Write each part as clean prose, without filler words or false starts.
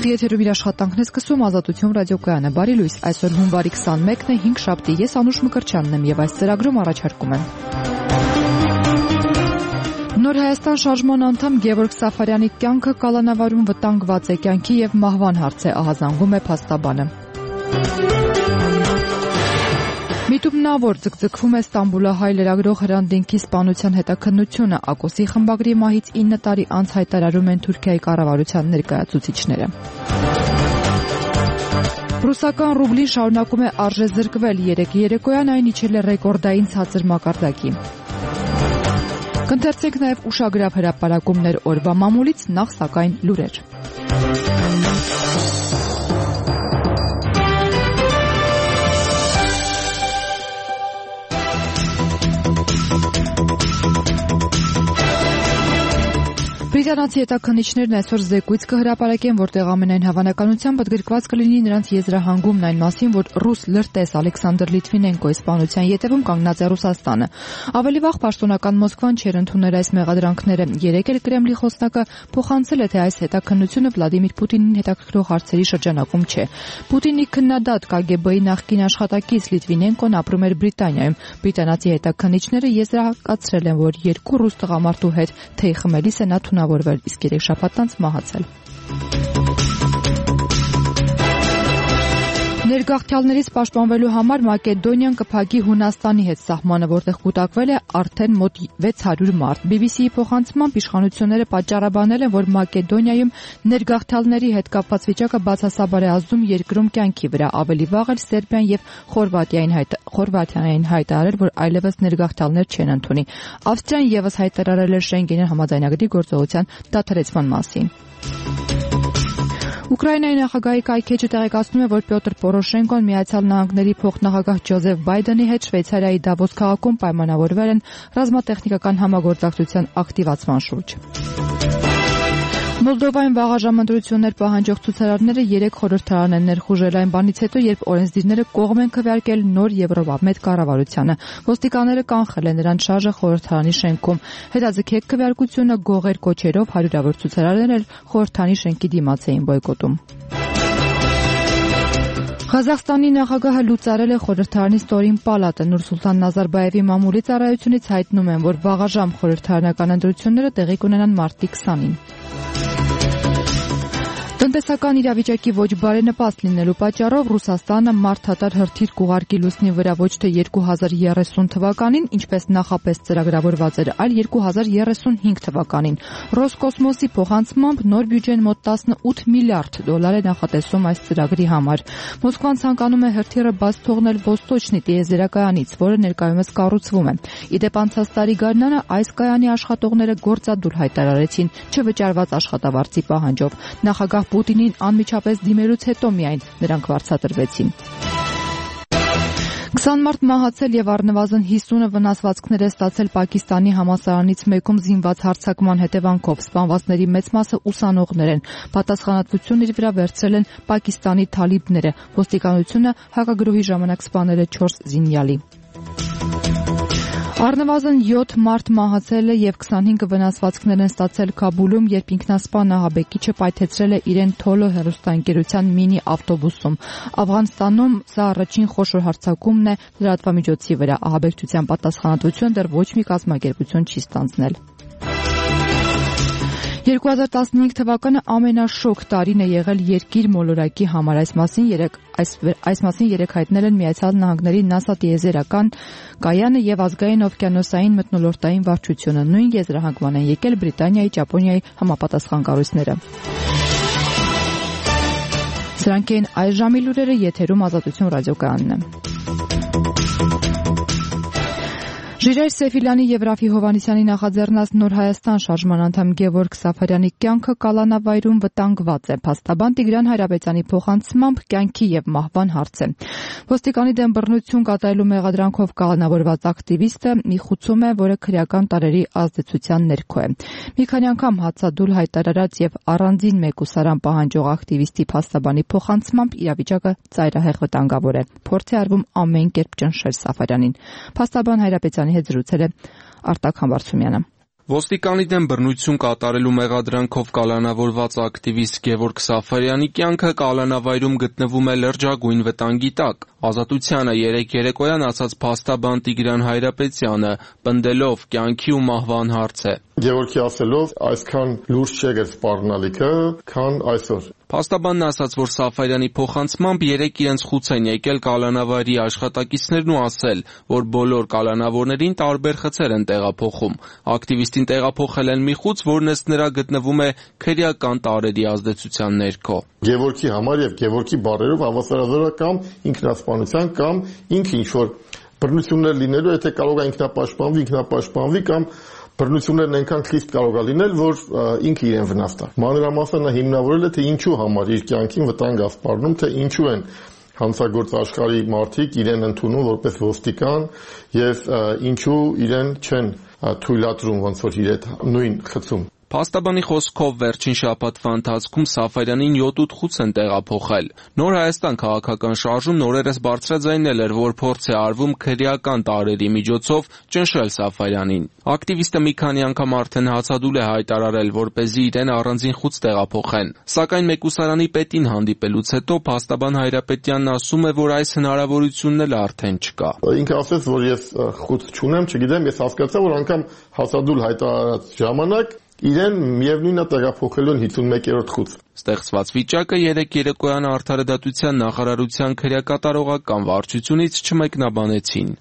Ուղիղ եթերում իր աշխատանքն է սկսում Ազատություն ռադիոկայանը։ Բարի լույս, այսօր հունվարի 21-ն է, 5 շաբթի, ես Անուշ Մկրտչյանն եմ եւ այս ծրագրում առաջարկում եմ. Նոր Հայաստան շարժման անդամ Գևորգ Սաֆարյանի կյանքը կալանավարում վտանգված է, կյանքի եւ մահվան հարց է, ահազանգում է փաստաբանը։ Միտումնավոր ձգձգվում է Ստամբուլահայ լրագրող Հրանտ Դինքի սպանության հետաքննությունը, Ակոսի խմբագրի մահից 9 տարի անց հայտարարում են Թուրքիայի կառավարության ներկայացուցիչները։ Ռուսական ռուբլին շարունակում է արժեզրկվել, երեկոյան այն իջել է ռեկորդային ցածր մակարդակի։ Կընթերցենք նաև ուշագրավ հրապարակումներ օրվա մամուլից, նախ սակայն լուրեր։ Բրիտանացի հետաքննիչներն այսօր զեկույց կհրապարակեն, որտեղ ամենայն հավանականությամբ ընդգրկված կլինի նրանց եզրահանգումն այն մասին, որ ռուս լրտես Ալեքսանդր Լիտվինենկոյի սպանության ետևում կանգնած է Ռուսաստանը։ Ավելի վաղ պաշտոնական Մոսկվան չէր ընդունել այս մեղադրանքները։ Երեկ էլ Կրեմլի խոսնակը փոխանցել է, թե այս հետաքննությունը Վլադիմիր Պուտինին հետաքրքրող հարցերի շրջանակում չէ։ Պուտինի քննադատ KGB-ի նախկին աշխատակից Լիտվինենկոն ապրում էր Բրիտանիայում։ Բրիտանացի հետաքննիչները եզրակացրել են, որ երկու ռուս տղամարդու հետ թեյ խմելիս է նա թունավորվել, իսկ 3 շաբաթ անց մահացել։ Ներգաղթյալներից պաշտպանվելու համար Մակեդոնիան կփակի Հունաստանի հետ սահմանը, որտեղ կուտակվել է արդեն մոտ 600 մարդ։ BBC-ի փոխանցմամբ իշխանությունները պատճառաբանել են, որ Մակեդոնիայում ներգաղթյալների հետ կապված վիճակը բացասաբար է ազդում երկրում կյանքի վրա։ Ավելի վաղ էլ Սերբիան եւ Խորվաթիան հայտարարել, որ այլևս ներգաղթյալներ չեն ընդունի։ Ավստրիան եւս հայտարարել է Շենգենի համաձայնագրի գործողության դադարեցման մասին։ Ուկրաինայի նախագահի կայքէջը տեղեկացնում է, որ Պյոտր Պորոշենկոն Միացյալ Նահանգների փոխնախագահ Ջոզեֆ Բայդենի հետ Շվեյցարիայի Դավոս քաղաքում պայմանավորվել են ռազմատեխնիկական համագործակցության ակտիվացման շուրջ։ Մոլդովայում վաղաժամ ընտրություններ պահանջող ցուցարարները 3 խորհրդարան են ներխուժել այն բանից հետո, երբ օրենսդիրները կողմ են քվեարկել նոր Եվրոպամետ կառավարությանը։ Ոստիկանները կանխել են նրանց շարժը խորհրդարանի շենքում։ Հետաձգեք քվեարկությունը գողեր կոչերով հարյուրավոր ցուցարարներ էլ խորհրդարանի շենքի դիմաց էին բոյկոտում։ Ղազախստանի նախագահը լուծարել է խորհրդարանի ստորին պալատը։ Նուրսուլտան Նազարբաևի մամուլի ծառայությունից հայտնում են, որ վաղաժամ խորհրդարանական ընտրությունները տեղի կունենան մարտի 20-ին։ Տնտեսական իրավիճակի ոչ բարենպաստ լինելու պատճառով Ռուսաստանը մարդատար հրթիռ կուղարկի լուսնի վրա ոչ թե 2030 թվականին, ինչպես նախապես ծրագրավորված էր, այլ 2035 թվականին։ Ռոսկոսմոսի փոխանցմամբ նոր բյուջեն մոտ 18 միլիարդ դոլար է նախատեսում այս ծրագրի համար։ Մոսկվան ցանկանում է հրթիռը բաց թողնել Ոստոչնի տիեզերակայանից, որը ներկայումս կառուցվում է։ Իդեպ անցած տարի գարնանը այս կայանի աշխատողները գործադուլ հայտարարեցին չվճարված աշխատավարձի պահանջով։ Նախագահ Պուտինին անմիջապես դիմելուց հետո միայն նրանք վարձատրվեցին։ 20 մարդ մահացել եւ առնվազն 50-ը վնասվածքներ է ստացել Պակիստանի համալսարանից մեկում զինված հարձակման հետևանքով։ Սպանվածների մեծ մասը ուսանողներ են։ Պատասխանատվությունն իր վրա վերցրել են Պակիստանի թալիբները։ Ոստիկանությունը հակագրոհի ժամանակ սպանել է 4 զինյալի։ Առնվազն 7 մարդ մահացել է եւ 25 վնասվածքներ են ստացել Քաբուլում, երբ ինքնասպան ահաբեկիչը պայթեցրել է իրեն Թոլո հեռուստաընկերության մինի ավտոբուսում։ Աֆղանստանում սա առաջին խոշոր հարձակումն է լրատվամիջոցի վրա։ Ահաբեկչության պատասխանատվությունը դեռ ոչ մի կազմակերպություն չի ստանձնել։ 2015 թվականը ամենաշոկ տարին է եղել երկիր մոլորակի համար։ Այս մասին երեք հայտնել են Միացյալ Նահանգների NASA տիեզերական կայանը եւ ազգային օվկիանոսային մթնոլորտային վարչությունը։ Նույն եզրահանգման են եկել Բրիտանիայի, Ճապոնիայի համապատասխան կառույցները։ Սրանք են այս ժամի լուրերը, եթերում Ազատություն ռադիոկայանն է։ Ժիրայր Սեֆիլյանի եւ Ռաֆի Հովհաննիսյանի նախաձեռնած Նոր Հայաստան շարժման անդամ Գևորգ Սաֆարյանի կյանքը կալանավայրում վտանգված է։ Փաստաբան Տիգրան Հայրապետյանի փոխանցմամբ կյանքի եւ մահվան հարց է։ Ոստիկանի դեմ բռնություն կատարելու մեղադրանքով կալանավորված ակտիվիստը մի խուցում է, որը քրեական տարերի ազդեցության ներքո է։ Մի քանի անգամ հացադուլ հայտարարած եւ առանձին մեկուսարան պահանջող ակտիվիստի փաստաբանի փոխանցմամբ իրավիճակը ծայրահեղ վտանգավոր է։ Փորձ է արվում ամեն կերպ ճնշել Սաֆարյանին։ Փաստաբան Հայրապետյանի հետ զրուցել է Արտակ Համբարձումյանը։ Ոստիկանի դեմ բռնություն կատարելու մեղադրանքով կալանավորված ակտիվիստ Գևորգ Սաֆարյանի կյանքը կալանավայրում գտնվում է լրջագույն վտանգի տակ։ Ազատությանը երեկոյան ասաց փաստաբան Տիգրան Հայրապետյանը, պնդելով կյանքի ու մահվան հարց է։ Գևորգի ասելով, այսքան լուրջ չէ սպառնալիքը, քան այսօր։ Փաստաբանն ասաց, որ Սաֆարյանի փոխանցմամբ երեկ իրենց խուց են եկել կալանավայրի աշխատակիցներն ու ասել, որ բոլոր կալանավորներին տարբեր խցեր են տեղափոխում։ Ակտիվիստին տեղափոխել են մի խուց, որն ըստ նրա գտնվում է քրեական տարրերի ազդեցության ներքո։ Գևորգի համար եւ Գևորգի բառերով հավասարազորական ինքնասպանության կամ ինքը ինչ-որ բռնություններ լինելու, եթե կարող է ինքնապաշտպանվի կամ բռնություններն այնքան խիստ կարող է լինել, որ ինքը իրեն վնասի։ Մանրամասն նա հիմնավորել է, թե ինչու համար իր կյանքին վտանգ ասպառնում, թե ինչու են հանցագործ աշխարհի մարդիկ իրեն ընդունում որպես ոստիկան եւ ինչու իրեն չեն թույլատրում ոնց որ իր հետ նույն խցում։ Փաստաբանի խոսքով վերջին շաբաթվա ընթացքում Սաֆարյանին 7-8 խուց են տեղափոխել։ Նոր Հայաստան քաղաքական շարժումն օրերս բարձրաձայնել էր, որ փորձ է արվում քրեական տարրերի միջոցով ճնշել Սաֆարյանին։ Ակտիվիստը մի քանի անգամ արդեն հացադուլ է հայտարարել, որպեսզի իրեն առանձին խուց տեղափոխեն։ Սակայն մեկուսարանի պետին հանդիպելուց հետո փաստաբան Հայրապետյանն ասում է, որ այս հնարավորությունն էլ արդեն չկա։ Ինքը ասաց, որ ես խուց չունեմ, չգիտեմ, ես հասկացա, որ անգամ հացադուլ հայտարարած ժամանակ իրեն միևնույնն է տեղափոխելու 51-րդ խուց։ Ստեղծված վիճակը երեկոյան Արդարադատության նախարարության քրեակատարողական վարչությունից չմեկնաբանեցին։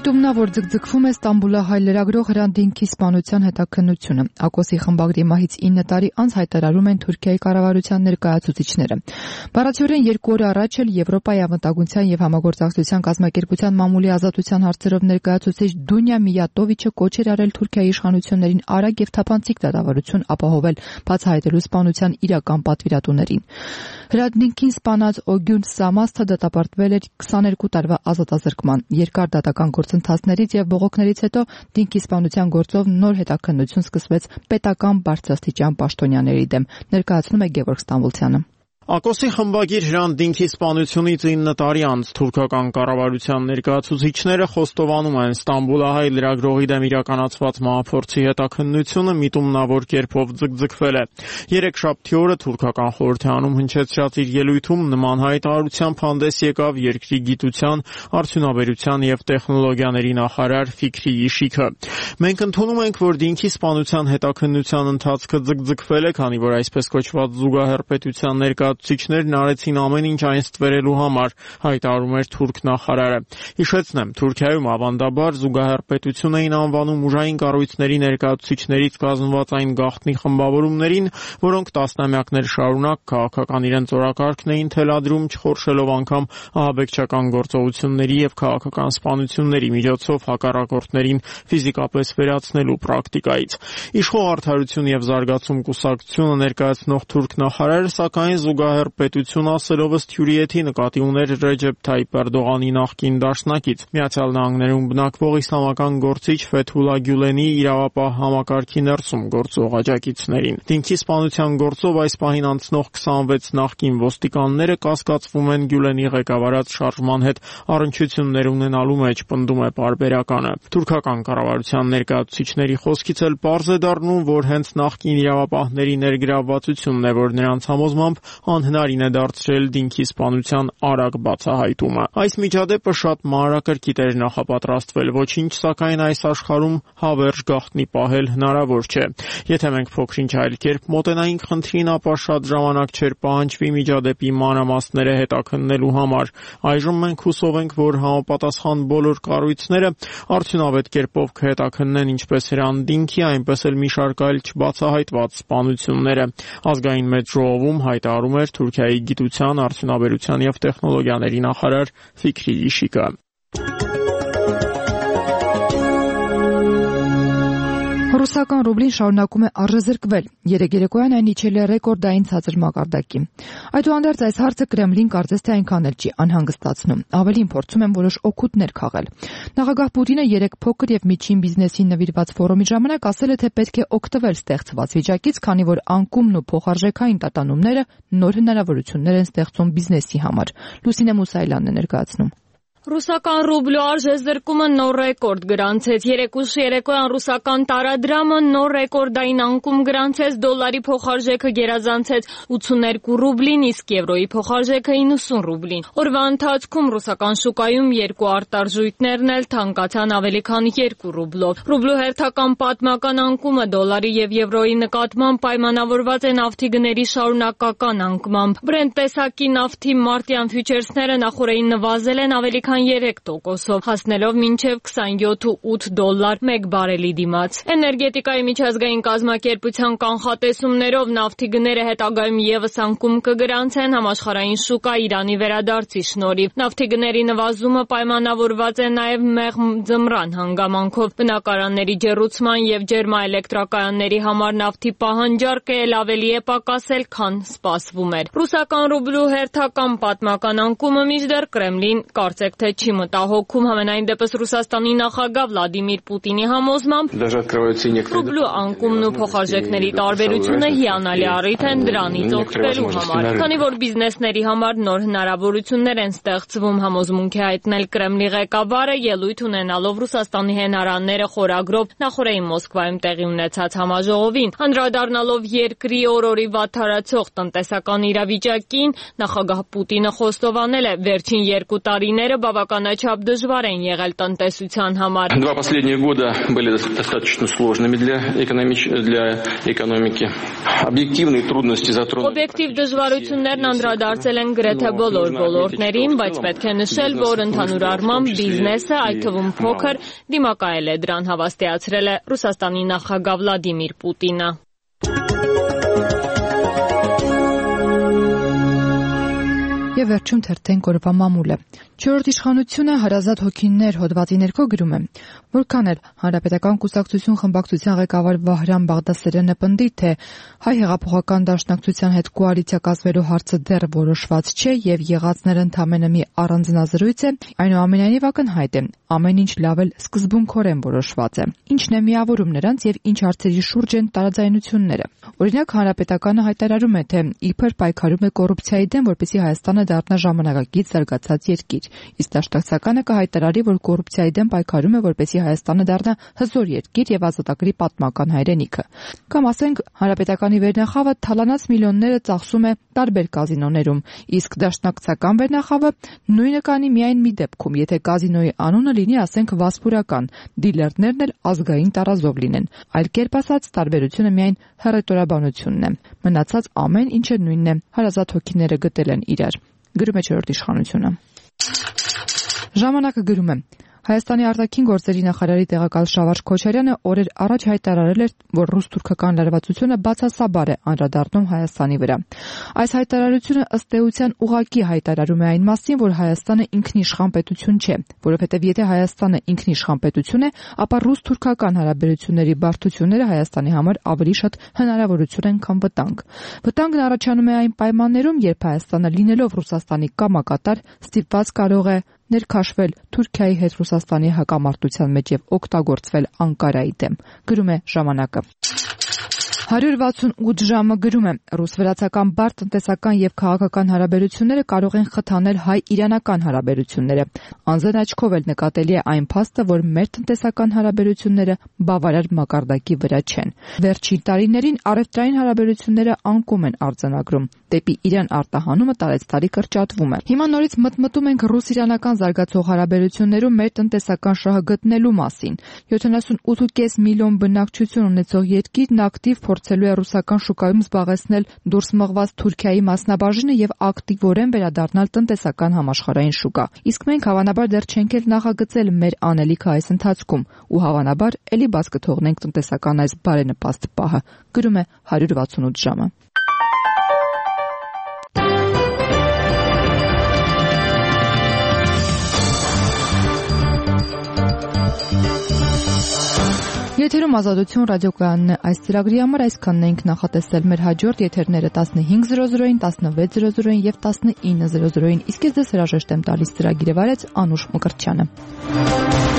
Միտումնա, որ ձգձգվում է Ստամբուլահայ լրագրող Հրանտ Դինքի սպանության հետաքննությունը։ Ակոսի խմբագրի մահից 9 տարի անց հայտարարում են Թուրքիայի կառավարության ներկայացուցիչները։ Բառացիորեն 2 օր առաջ էլ Եվրոպայի անվտանգության եւ համագործակցության կազմակերպության մամուլի ազատության հարցերով ներկայացուցիչ Դունյա Միյատովիչը կոչ էր արել Թուրքիայի իշխանություններին արագ եւ թափանցիկ դատավարություն ապահովել, բացահայտելու սպանության իրական պատվիրատուներին։ Հրանտ Դինքին սպանած Օգյուն Սամասթը դատապարտվել էր 22 տարվա ազատազրկման։ Երկար դատական գործընթացներից եւ բողոքներից հետո Դինքի սպանության գործով նոր հետաքննություն սկսվեց պետական բարձրաստիճան պաշտոնյաների դեմ, ներկայացնում է Գևորգ Ստամբուլցյանը։ Ակոսի խմբագիր Հրանտ Դինքի սպանությունից 9 տարի անց թուրքական կառավարության ներկայացուցիչները խոստովանում են Ստամբուլահայ լրագրողի դեմ իրականացված մահափորձի հետաքննությունը միտումնավոր կերպով ձգձգվել է։ Երեքշաբթի օրը թուրքական խորհրդարանում հնչեցրած իր ելույթում նման հայտարարությամբ հանդես եկավ երկրի գիտության, արդյունաբերության եւ տեխնոլոգիաների նախարար Ֆիքրի Իշիքը։ Մենք ընդունում ենք, որ Դինքի սպանության հետաքննության ընթացքը ձգձգվել է, քանի որ այսպես կոչված զուգահեռ պետության ներկայացուցիչներն արեցին ամեն ինչ այն ստվերելու համար, հայտարարում էր թուրք նախարարը։ Հիշեցնեմ, Թուրքիայում ավանդաբար զուգահեռ պետություն էին անվանում ուժային կառույցների ներկայացուցիչներից կազմված այն գաղտնի խմբավորումներին, որոնք տասնամյակներ շարունակ քաղաքական իրենց օրակարգն էին թելադրում, չխորշելով անգամ ահաբեկչական գործողությունների եւ քաղաքական սպանությունների միջոցով հակառակորդներին ֆիզիկապես վերացնելու պրակտիկայից։ Իշխող արդարություն եւ զարգացում կուսակցությունը ներկայացնող թուրք նախարարը սակայն զուգահեռ պետություն ասելով ըստ հյուրիեթի նկատի ուներ Ռեջեփ Թայիփ Էրդողանի նախկին դաշնակից Միացյալ Նահանգներում բնակվող իսլամական գործիչ Ֆեթհուլա Գյուլենի իրավապահ համակարգի ներսում գործող աջակիցներին։ Դինքի սպանության գործով այս պահին անցնող 26 նախկին ոստիկանները կասկածվում են Գյուլենի ղեկավարած շարժման հետ առնչություններ ունենալու մեջ, պնդում է պարբերականը։ Թուրքական կառավարության ներկայացուցիչների խոսքից էլ պարզ է դառնում, որ հենց նախկին իրավապահների ներգրավվածությունն է, որ նրանց համոզմամբ անհնարին է դարձրել Դինքի սպանության արագ բացահայտումը։ Այս միջադեպը շատ մանրակրկիտ էր նախապատրաստվել, ոչինչ սակայն այս աշխարհում հավերժ գաղտնի պահել հնարավոր չէ։ Եթե մենք փոքրինչ այլ կերպ մոտենայինք խնդրին, ապա շատ ժամանակ չէր պահանջվի միջադեպի մանրամասները հետաքննելու համար։ Այժմ մենք հուսով ենք, որ համապատասխան բոլոր կառույցները արդյունավետ կերպով կհետաքննեն ինչպես Հրանտ Դինքի, այնպես էլ մի շարք այլ չբացահայտված սպանությունները։ Ազգային մեծ ժողովում հայտարարում էր Թուրքիայի գիտության, արդյունաբերության եւ տեխնոլոգիաների նախարար Ֆիքրի Իշիկը։ Ռուսական ռուբլին շարունակում է առժզրկվել։ Երեկոյան այն իջել է ռեկորդային ցածր մակարդակի։ Այդուհանդերձ այս հարցը Կրեմլին կարծես թե այնքան էլ չի անհանգստացնում։ Ավելին փորձում են որոշ օգուտներ քաղել։ Նախագահ Պուտինը երեք փոքր եւ միջին բիզնեսին նվիրված ֆորումի ժամանակ ասել է, թե պետք է օգտվել ստեղծված վիճակից, քանի որ անկումն ու փոխարժեքային տատանումները նոր հնարավորություններ են ստեղծում բիզնեսի համար։ Լուսինե Մուսայելյանն է ներկայացնում։ Ռուսական ռուբլու արժեզրկումը նոր ռեկորդ գրանցեց։ Երեկուշ երեկոյան ռուսական տարադրամը նոր ռեկորդային անկում գրանցեց, դոլարի փոխարժեքը գերազանցեց 82 ռուբլին, իսկ եվրոյի փոխարժեքը 90 ռուբլին։ Օրվա ընթացքում ռուսական շուկայում երկու արտարժույթներն էլ թանկացան ավելի քան 2 ռուբլով։ Ռուբլու հերթական պատմական անկումը դոլարի եւ եվրոյի նկատմամբ պայմանավորված է նավթի գների շարունակական անկմամբ։ Brent տեսակի նավթի մարտյան ֆյուչերսները նախորդին նվազել են ավելի քան 3%-ով, հասնելով մինչև $27.8 մեկ բարելի դիմաց։ Էներգետիկայի միջազգային կազմակերպության կանխատեսումներով նավթի գները հետագայում ևս անկում կգրանցեն համաշխարհային շուկա Իրանի վերադարձի շնորհիվ։ Նավթի գների նվազումը պայմանավորված է նաև մեղմ ձմռան հանգամանքով։ Բնակարանների ջեռուցման եւ ջերմաէլեկտրակայանների համար նավթի պահանջարկը էլ ավելի է պակասել, քան սպասվում էր։ Ռուսական ռուբլու հերթական պատմական անկումը մինչդեռ Կրեմլին կարծեք թե չի մտահոգում, համենայն դեպս Ռուսաստանի նախագահ Վլադիմիր Պուտինի համոզմամբ ռուբլու անկումն ու փոխարժեքների տարբերությունը հիանալի առիթ են դրանից օգտվելու համար։ Քանի որ բիզնեսների համար նոր հնարավորություններ են ստեղծվում, համոզմունք է հայտնել Կրեմլի ղեկավարը, ելույթ ունենալով Ռուսաստանի հենարանները խորագրով նախորդին Մոսկվայում տեղի ունեցած համաժողովին։ Անդրադառնալով երկրի օրորի վատթարացող տնտեսական իրավիճակին, նախագահ Պուտինը խոստովանել է, վերջին 2 տարիները բավականաչափ դժվար են եղել տնտեսության համար։ Два последних года были достаточно сложными для экономики. Объективные трудности затронули. Օբյեկտիվ դժվարություններն անդրադարձել են գրեթե բոլոր ոլորտներին, բայց պետք է նշել, որ ընդհանուր առմամբ բիզնեսը, այդ թվում փոքր, դիմակայել է դրան, հավաստիացրել է Ռուսաստանի նախագահ Վլադիմիր Պուտինը։ Եվ վերջում թերթենք օրվա մամուլը։ 4-րդ իշխանությունը հարազատ հոգիներ հոդվածի ներքո գրում է, որքան էլ Հանրապետական կուսակցություն խմբակցության ղեկավար Վահրամ Բաղդասարյանը պնդի, թե հայ հեղափոխական դաշնակցության հետ կոալիցիա կազմելու հարցը դեռ որոշված չէ եւ եղածները ընդամենը մի առանձնազրույց է, այնուամենայնիվ ակնհայտ է, ամեն ինչ լավ էլ սկզբունքորեն որոշված է։ Ինչն է միավորում նրանց եւ ինչ հարցերի շուրջ են տարաձայնությունները։ Օրինակ Հանրապետականը հայտարարում է, թե իբր պայքարում է կոռուպցիայի դեմ, որպեսզի Հայաստանը դառնա ժամանակակից զարգացած երկիր, իսկ դաշնակցականը կհայտարարի, որ կոռուպցիայի դեմ պայքարում է, որպեսզի Հայաստանը դառնա հզոր երկիր եւ ազատագրի պատմական հայրենիքը։ Կամ ասենք Հանրապետականի վերնախավը թալանած միլիոնները ծախսում է տարբեր կազինոներում, իսկ դաշնակցական վերնախավը նույնը կանի միայն մի դեպքում, եթե կազինոյի անունը լինի, ասենք Վասպուրական, դիլերներն էլ ազգային տարազով լինեն։ Այլ կերպ ասած, տարբերությունը միայն հռետորաբանությունն է։ Մնացած ամեն ինչը նույնն է, հարազատ հոգիները գտել են իրար։ Գրում է 4-րդ իշխանությունը։ Ժամանակը գրում է. Հայաստանի արտաքին գործերի նախարարի տեղակալ Շավարժ Քոչարյանը օրեր առաջ հայտարարել էր, որ ռուս-թուրքական լարվածությունը բացասաբար է անդրադառնում Հայաստանի վրա։ Այս հայտարարությունը ըստ էության ուղղակի հայտարարում է այն մասին, որ Հայաստանը ինքնիշխան պետություն չէ, որովհետև եթե Հայաստանը ինքնիշխան պետություն է, ապա ռուս-թուրքական հարաբերությունների բարդությունները Հայաստանի համար ավելի շատ հնարավորություն են, քան վտանգ։ Վտանգն առաջանում է այն պայմաններում, երբ Հայաստանը լինելով Ռուսաստանի կամակատար ստիպված կարող է ներքաշվել Թուրքիայի հետ Ռուսաստանի հակամարտության մեջ եւ օգտագործվել Անկարայի դեմ, գրում է ժամանակը։ 168 ժամը գրում է. ռուս-վրացական բարդ տնտեսական եւ քաղաքական հարաբերությունները կարող են խթանել հայ-իրանական հարաբերությունները։ Անձն աչքով էլ նկատելի է այն փաստը, որ մեր տնտեսական հարաբերությունները բավարար մակարդակի վրա չեն։ Վերջին տարիներին առևտրային հարաբերությունները անկում են արձանագրում, դեպի Իրան արտահանումը տարեցտարի կրճատվում է։ Հիմա նորից մտմտում ենք ռուս-իրանական զարգացող հարաբերություններում մեր տնտեսական շահը գտնելու մասին։ 78.5 միլիոն բնակչություն ունեցող երկիրն ակտիվ փորձելու է ռուսական շուկայում զբաղեցնել դուրս մղված Թուրքիայի մասնաբաժինը եւ ակտիվորեն վերադառնալ տնտեսական համաշխարհային շուկա։ Իսկ մենք հավանաբար դեռ չենք էլ նախագծել մեր անելիքը այս ընթացքում ու հավանաբար ելի բաց կթողնենք տնտեսական այս բարենպաստ պահը, գրում է 168 ժամը։ Եթերում Ազատություն ռադիոկայանն է, այս ծրագրի համար այսքանն ենք նախատեսել, մեր հաջորդ եթերները 15:00-ին, 16:00-ին եւ 19:00-ին, իսկ ես ձեզ հրաժեշտ եմ տալիս, ծրագիրը վարեց Անուշ Մկրտչյանը։